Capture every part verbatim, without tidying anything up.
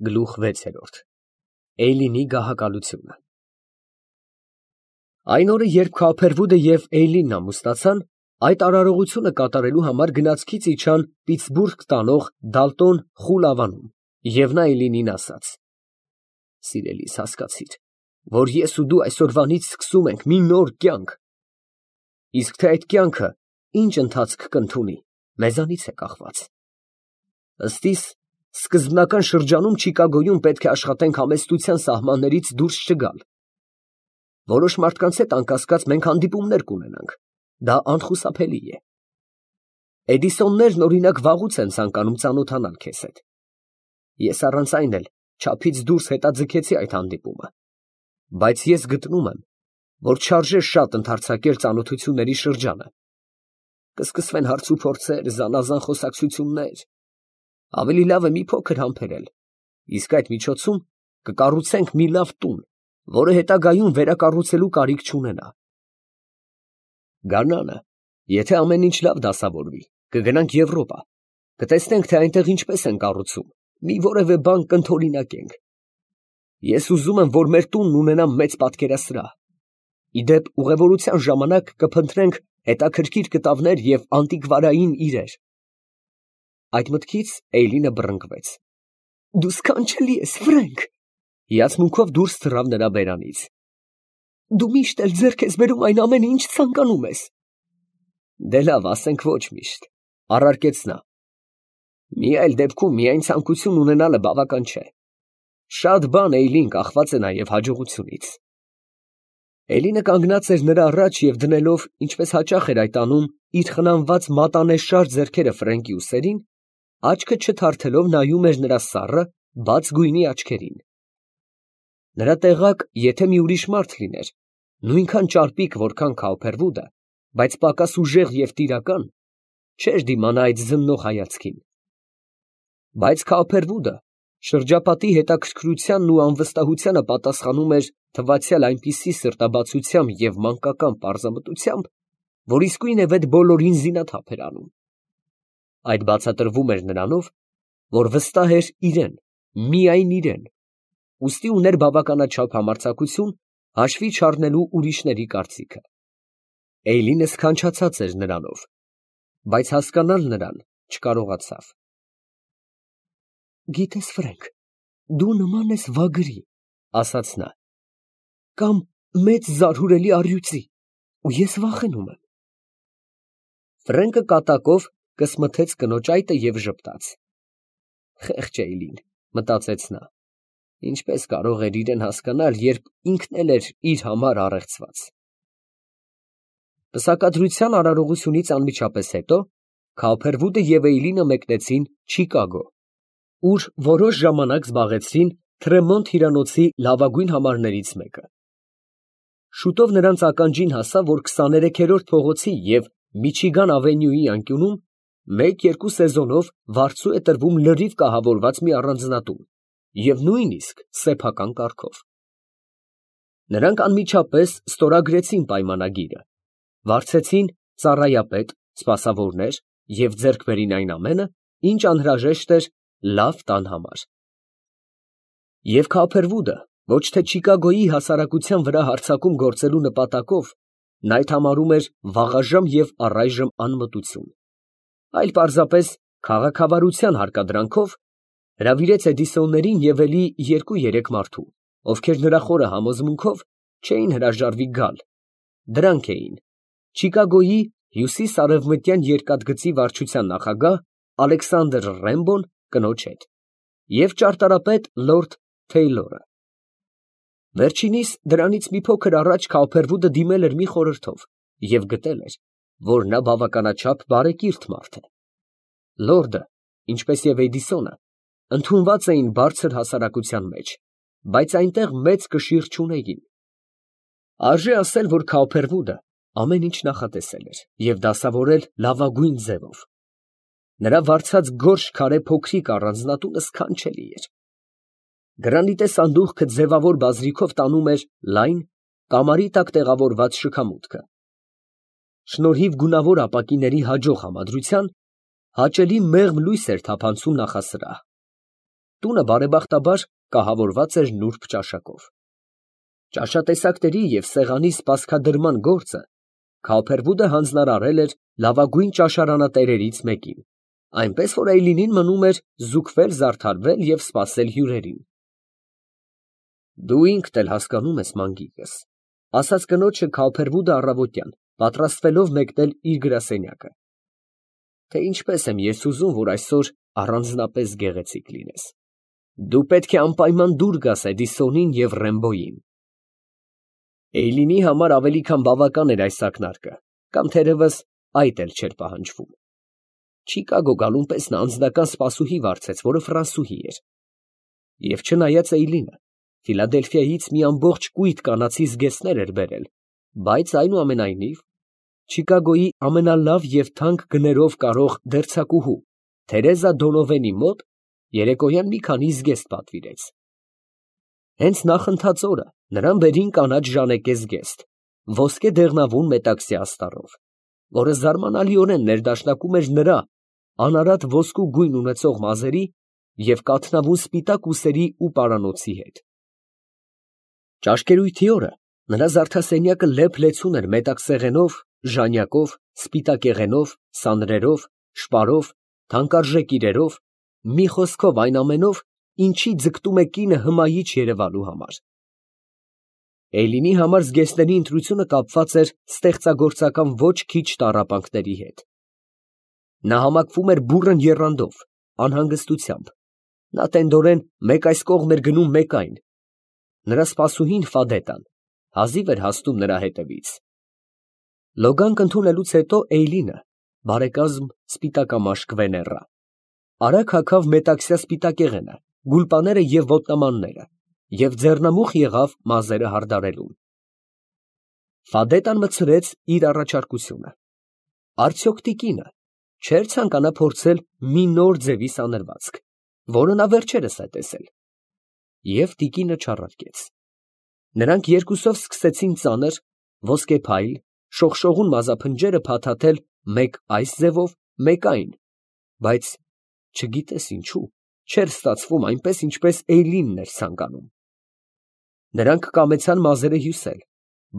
Գլուխ վեցերորդ Էյլինի գահակալությունը Այն օրը, երբ Քարփերվուդը և Էյլինն ամուսնացան, այդ արարողությունը կատարելու համար գնացքից իջան Պիտսբուրգ տանող Դալտոն Խուլավանում, և նա Էյլինին ասաց. «Սիրելիս, հասկացիր, որ ես ու դու այսօրվանից սկսում ենք մի նոր կյանք, իսկ թե այդ կյանքը ինչ ընթացք կընդունի, մեզանից է կախված։ Ըստ իս, սկզբնական շրջանում Չիկագոյում պետք է աշխատենք համեստության սահմաններից դուրս չգալ։ Որոշ մարդկանց հետ, անկասկած, մենք հանդիպումներ կունենանք, դա անխուսափելի է։ Էդիսոններն, օրինակ, վաղուց են ցանկանում ծանոթանալ քեզ հետ։ Ես առանց այն էլ չափից դուրս հետաձգեցի այդ հանդիպումը, բայց ես գտնում եմ, որ չարժե շատ ընդարձակել ծանոթությունների շրջանը։ Կսկսվեն հարցուփորձեր, զանազան խոսակցություններ, ավելի լավ է մի փոքր համբերել, իսկ այդ միջոցում կկառուցենք մի լավ տուն, որը հետագայում վերակառուցելու կարիք չունենա։ Գարնանը, եթե ամեն ինչ լավ դասավորվի, կգնանք Եվրոպա, կտեսնենք, թե այնտեղ ինչպես են կառուցում, մի որևէ բան կընդօրինակենք։ Ես ուզում եմ, որ մեր տունն ունենա մեծ պատկերասրահ։ Ի դեպ, ուղևորության ժամանակ կփնտրենք հետաքրքիր կտավներ և անտիկվարային իրեր։ Այդ մտքից Էյլինը բռնկվեց։ Դու սքանչելի ես, Ֆրենկ։ Հիացմունքով դուրս թռավ նրա բերանից։ Դու միշտ էլ ձեռք ես բերում այն ամենը, ինչ ցանկանում ես։ Դե լավ, ասենք ոչ միշտ, առարկեց նա։ Մի այլ դեպքում միայն ցանկություն ունենալը բավական չէ։ Շատ բան, Էյլին, կախված է նաև հաջողությունից։ Էլինը կանգնած էր նրա առաջ և դնելով, ինչպես հաճախ էր այդ անում, իր խնամված մատանեշար ձեռքերը Ֆրենկի ուսերին, աչքը չթարթելով նայում էր նրա սառը, բաց գույնի աչքերին։ Նրա տեղակ, եթե մի ուրիշ մարդ լիներ, նույնքան ճարպիկ, որքան Քարփերվուդը, բայց պակաս ուժեղ և տիրական, չէր դիմանա այդ զննող հայացքին։ Բայց Քարփերվուդը շրջապատի հետաքրքրությանն ու անվստահությանը պատասխանում էր թվացյալ այնպիսի սրտաբացությամբ և մանկական պարզամտությամբ, որ իսկույն է վեթ բոլորին զինաթափ էր անում։ Այդ բացատրվում էր նրանով, որ վստահ էր իրեն, միայն իրեն, ուստի ուներ բավականաչափ համարձակություն հաշվի չառնելու ուրիշների կարծիքը։ Էյլինը սքանչացած էր նրանով, բայց հասկանալ նրան չկարողացավ։ Գիտես, Ֆրենկ, դու նման ես վագրի, ասաց նա, կամ մեծ զարհուրելի առյուծի, ու ես վախենում եմ։ Ֆրենկը կատակով կսմթեց կնոջ այտը և ժպտաց։ Խեղճ Էյլին, մտածեց նա, ինչպես կարող էր իրեն հասկանալ, երբ ինքն էլ էր իր համար առեղծված։ Պսակադրության արարողությունից անմիջապես հետո Քարփերվուդը և Էյլինը մեկնեցին Չիկագո, ուր որոշ ժամանակ զբաղեցրին Թրեմոնտ հյուրանոցի լավագույն համարներից մեկը։ Շուտով նրանց ականջին հասավ, որ քսաներեքերորդ փողոցի և Միչիգան ավենյուի անկյունում մեկ֊երկու սեզոնով վարձու է տրվում լրիվ կահավորված մի առանձնատուն և նույնիսկ սեփական կարգով։ Նրանք անմիջապես ստորագրեցին պայմանագիրը, վարձեցին ծառայապետ, սպասավորներ և ձեռք բերին այն ամենը, ինչ անհրաժեշտ էր լավ տան համար։ Եվ Քարփերվուդը ոչ թե Չիկագոյի հասարակության վրա հարձակում գործելու նպատակով, նա այդ համարում էր վաղաժամ և առայժմ անմտություն, այլ պարզապես քաղաքավարության հարկադրանքով հրավիրեց Էդիսոններին և էլի երկու֊երեք մարդու, ովքեր նրա խորը համոզմունքով չէին հրաժարվի գալ, դրանք էին Չիկագոյի հյուսիս֊արևմտյան երկաթգծի վարչության նախագահ Ալեքսանդր Ռեմբոն կնոջ հետ և ճարտարապետ լորդ Թեյլորը։ Վերջինիս դրանից մի փոքր առաջ Քարփերվուդը դիմել էր մի խորհրդով և գտել էր, որ նա բավականաչափ բարեկիրթ մարդ է։ Լորդը, ինչպես և Էդիսոնը, ընդունված էին բարձր հասարակության մեջ, բայց այնտեղ մեծ կշիռ չունեին։ Արժե ասել, որ Քարփերվուդը ամեն ինչ նախատեսել էր և դասավորել լավագույն ձևով։ Նրա վարձած գորշ քարե փոքրիկ առանձնատունը սքանչելի էր։ Գրանիտե սանդուղքը ձևավոր բազրիքով տանում էր լայն, կամարի տակ տեղավորված շքամուտքը։ Շնորհիվ գունավոր ապակիների հաջող համադրության, հաճելի մեղմ լույս էր թափանցում նախասրահ։ Տունը բարեբախտաբար կահավորված էր նուրբ ճաշակով։ Ճաշատեսակների և սեղանի սպասքադրման գործը Քալփերվուդը հանձնարարել էր լավագույն ճաշարանատերերից մեկին, այնպես որ Էյլինին մնում էր զուգվել, զարդարվել և սպասել հյուրերին։ «Դու ինքդ էլ հասկանում ես, մանկիկս, ֊ ասաց կնոջը Քալփերվուդը առավոտյան, պատրաստվելով մեկնել իր գրասենյակը, ֊ թե ինչպես եմ ես ուզում, որ այսօր առանձնապես գեղեցիկ լինես. դու պետք է անպայման դուր գաս Էդիսոնին և Ռեմբոյին»։ Էյլինի համար ավելի քան բավական էր այս ակնարկը, կամ թերևս այդ էլ չէր պահանջվում։ Չիկագո գալուն պես նա անձնական սպասուհի վարձեց, որը ֆրանսուհի էր։ Եվ չնայած Էյլինը Ֆիլադելֆիայից մի ամբողջ կույտ կանացի զգեստներ էր բերել, բայց այնուամենայնիվ Չիկագոյի ամենալավ և թանկ գներով կարող դերձակուհու Թերեզա Դոնովենի մոտ երեկոյան մի քանի զգեստ պատվիրեց։ Հենց նախընթաց օրը նրան բերին կանաչ ժանեկե զգեստ, ոսկե դեղնավուն մետաքսյա աստառով, որը զարմանալիորեն ներդաշնակում էր նրա անարատ ոսկու գույն ունեցող մազերի և կաթնավուն սպիտակ ուսերի ու պարանոցի հետ։ Ճաշկերույթի օրը նրա զարդասենյակը լեփ֊լեցուն էր մետաքսեղենով, ժանյակով, սպիտակեղենով, սանրերով, շպարով, թանկարժեք իրերով, մի խոսքով այն ամենով, ինչի ձգտում է կինը հմայիչ երևալու համար։ Էյլինի համար զգեստների ընտրությունը կապված էր ստեղծագործական ոչ քիչ տառապանքների հետ։ Նա համակվում էր բուռն եռանդով, անհանգստությամբ, նա տենդորեն մեկ այս կողմ էր գնում, մեկ այն։ Նրա սպասուհին Ֆադետան հազիվ էր հասնում նրա հետևից։ Լոգանք ընդունելուց հետո Էյլինը, բարեկազմ սպիտակամաշկ վեներրա, արագ հագավ մետաքսյա սպիտակեղենը, գուլպաները և ոտնամանները և ձեռնամուխ եղավ մազերը հարդարելուն։ Ֆադետան մտցրեց իր առաջարկությունը. արդյոք տիկինը չէր ցանկանա փորձել մի նոր ձևի սանրվածք, որը նա վերջերս է տեսել։ Եվ տիկինը չառարկեց։ Նրանք երկուսով սկսեցին ծանր, ոսկեփայլ, շողշողուն մազափնջերը փաթաթել մեկ այս ձևով, մեկ այն, բայց, չգիտես ինչու, չէր ստացվում այնպես, ինչպես Էյլինն էր ցանկանում։ Նրանք կամեցան մազերը հյուսել,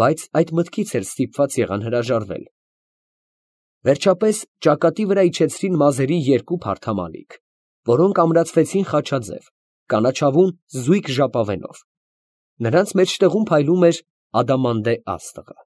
բայց այդ մտքից էլ ստիպված եղան հրաժարվել։ Վերջապես ճակատի վրա իջեցրին մազերի երկու փարթամանիք, որոնք ամրացվեցին խաչաձև, կանաչավուն զույգ ժապավենով։ Նրանց մեջտեղում փայլում էր ադամանդե աստղը։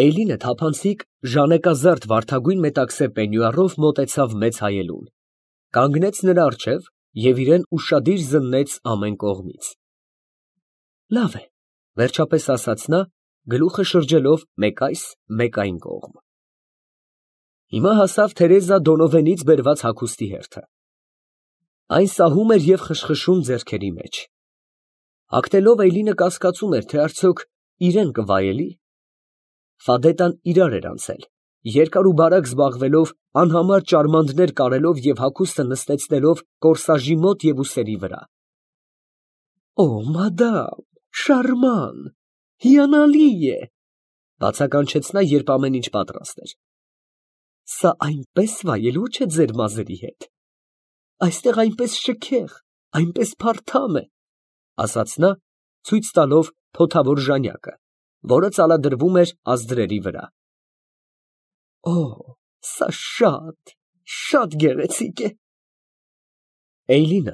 Էյլինը թափանցիկ ժանեկազարդ վարդագույն մետաքսե պենյուարով մոտեցավ մեծ հայելուն, կանգնեց նրա առջև և իրան ուշադիր զննեց ամեն կողմից։ Լավ է, վերջապես ասաց նա, գլուխը շրջելով մեկ այս, մեկ այն կողմ։ Հիմա հասավ Թերեզա Դոնովենից բերված հագուստի հերթը։ Այն սահում էր և խշխշում ձեռքերի մեջ։ Հագնելով Էյլինը կասկածում էր, թե արդյոք իրան կվայելի։ Ֆադետան իրար էր անցել, երկար ու բարակ զբաղվելով, անհամար ճարմանդներ կարելով և հագուստը նստեցնելով կորսաժի մոտ և ուսերի վրա։ «Օ, մադամ, շարման, հիանալի է, ֊ բացականչեց նա, երբ ամեն ինչ պատրաստ էր։ ֊ Սա այնպես վայելուչ է ձեր մազերի հետ, այստեղ այնպես շքեղ, այնպես փարթամ է, ֊ ասաց նա, ցույց տալով փոթավոր ժանյակը, որը ծալադրվում էր ազդրերի վրա։ ֊ Օ, սա շատ, շատ գեղեցիկ է։ Էյլինը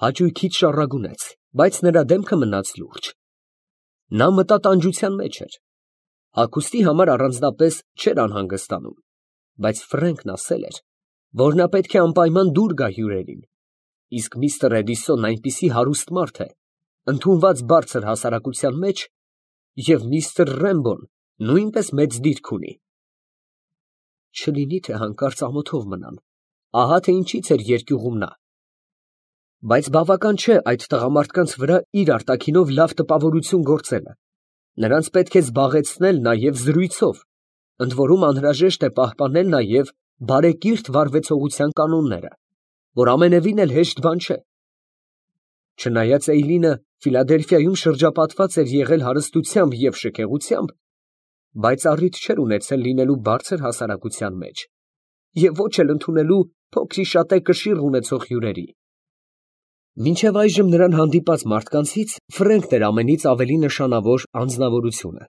հաճույքից շառագունեց, բայց նրա դեմքը մնաց լուրջ։ Նա մտատանջության մեջ էր։ Հագուստի համար առանձնապես չէր անհանգստանում, բայց Ֆրենքն ասել էր, որ նա պետք է անպայման դուր գա հյուրերին, իսկ միստր Էդիսոնն այնպիսի հարուստ մարդ է, ընդունված բարձր հասարակության մեջ, և միստր Ռեմբոն նույնպես մեծ դիրք ունի։ Չլինի թե հանկարծ ամոթով մնան, ահա թե ինչից էր երկյուղում նա։ Բայց բավական չէ այդ տղամարդկանց վրա իր արտաքինով լավ տպավորություն գործելը, նրանց պետք է զբաղեցնել նաև զրույցով, ընդ որում անհրաժեշտ է պահպանել նաև բարեկիրթ վարվեցողության կանոնները, որ ամենևին էլ հեշտ բան չէ։ Չնայած Էյլինը Ֆիլադելֆիայում շրջապատված էր եղել հարստությամբ և շքեղությամբ, բայց առիթ չէր ունեցել լինելու բարձր հասարակության մեջ և ոչ էլ ընդունելու փոքրիշատե կշիռ ունեցող հյուրերի։ Մինչև այժմ նրան հանդիպած մարդկանցից Ֆրենքն էր ամենից ավելի նշանավոր անձնավորությունը։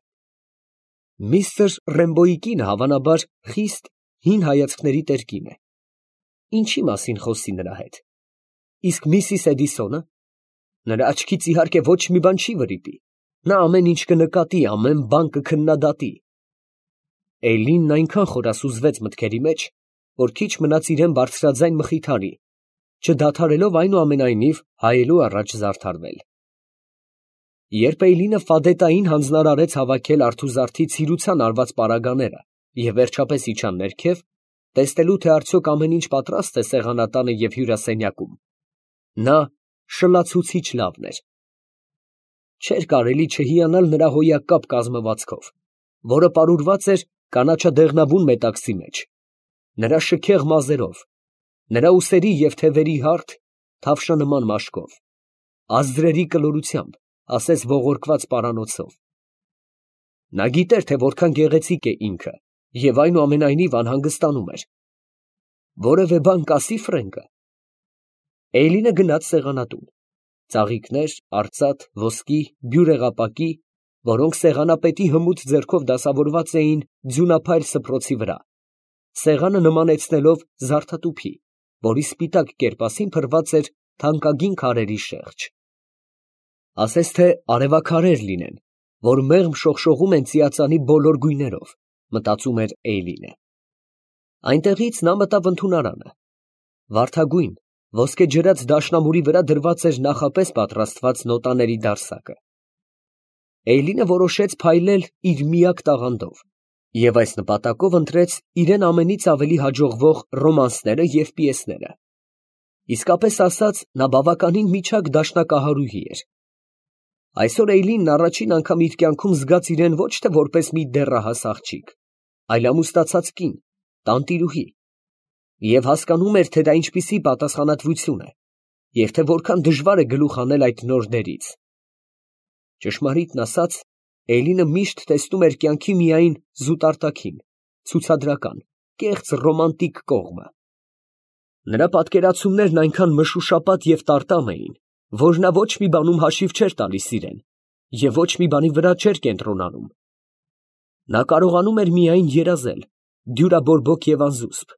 Միսթր Ռեմբոյի կինը, հավանաբար, խիստ հին հայացքների տեր կին է։ Ինչի մասին խոսի նրա հետ։ Իսկ Միսիս Էդիսոնը, նրա աչքից իհարկե ոչ մի բան չի վրիպի, նա ամեն ինչ կնկատի, ամեն բան կքննադատի։ Էյլինն այնքան խորասուզվեց մտքերի մեջ, որ քիչ մնաց իրան բարձրաձայն մխիթարի, չդադարելով այնուամենայնիվ հայելու առաջ զարդարվել։ Երբ Էյլինը ֆադետային հանձնարարեց հավաքել արթուզարդի ցիրության արված պարագաները և վերջապես իջան ներքև, տեսնելու թե արդյոք ամեն ինչ պատրաստ է սեղանատանը և հյուրասենյակում, նա շլացուցիչ լավն էր։ Չէր կարելի չհիանալ նրա հոյակապ կազմվածքով, որը պարուրված էր կանաչադեղնավուն մետաքսի մեջ, նրա շքեղ մազերով, նրա ուսերի և թևերի հարթ, թավշանման մաշկով, ազդրերի կլորությամբ, ասես ողորկված պարանոցով։ Նա գիտեր, թե որքան գեղեցիկ է ինքը և այնուամենայնիվ անհանգստանում էր։ Որևէ բան կասի՞ Ֆրենկը։ Էյլինը գնաց սեղանատուն։ Ծաղիկներ, արծաթ, ոսկի, բյուրեղապակի, որոնք սեղանապետի հմուտ ձեռքով դասավորված էին ձյունափայլ սփռոցի վրա, սեղանը նմանեցնելով զարդատուփի, որի սպիտակ կերպասին փռված էր թանկագին քարերի շեղջ։ Ասես թե արևաքարեր լինեն, որ մեղմ շողշողում են ծիածանի բոլոր գույներով, մտածում էր Էյլինը։ Այնտեղից նա մտավ ընդունարանը։ Վարդագույն, ոսկեջրած դաշնամուրի վրա դրված էր նախապես պատրաստված նոտաների դարսակը։ Էյլինը որոշեց փայլել իր միակ տաղանդով և այս նպատակով ընտրեց իրան ամենից ավելի հաջողվող ռոմանսները և պիեսները։ Իսկապես ասած, նա բավականին միջակ դաշնակահարուհի էր։ Այսօր Էյլինն առաջին անգամ իր կյանքում զգաց իրան ոչ թե որպես մի դեռահաս աղջիկ, այլ ամուսնացած կին, տանտիրուհի, և հասկանում էր, թե դա ինչպիսի պատասխանատվություն է, և թե որքան դժվար է գլուխ հանել այդ նոր դերից։ Ճշմարիտն ասած, Էյլինը միշտ տեսնում էր կյանքի միայն զուտարտաքին, ցուցադրական, կեղծ ռոմանտիկ կողմը։ Նրա պատկերացումներն այնքան մշուշապատ և տարտամ էին, որ նա ոչ մի բանում հաշիվ չէր տալիս իրան և ոչ մի բանի վրա չէր կենտրոնանում։ Նա կարողանում էր միայն երազել, դյուրաբորբոք և անզուսպ,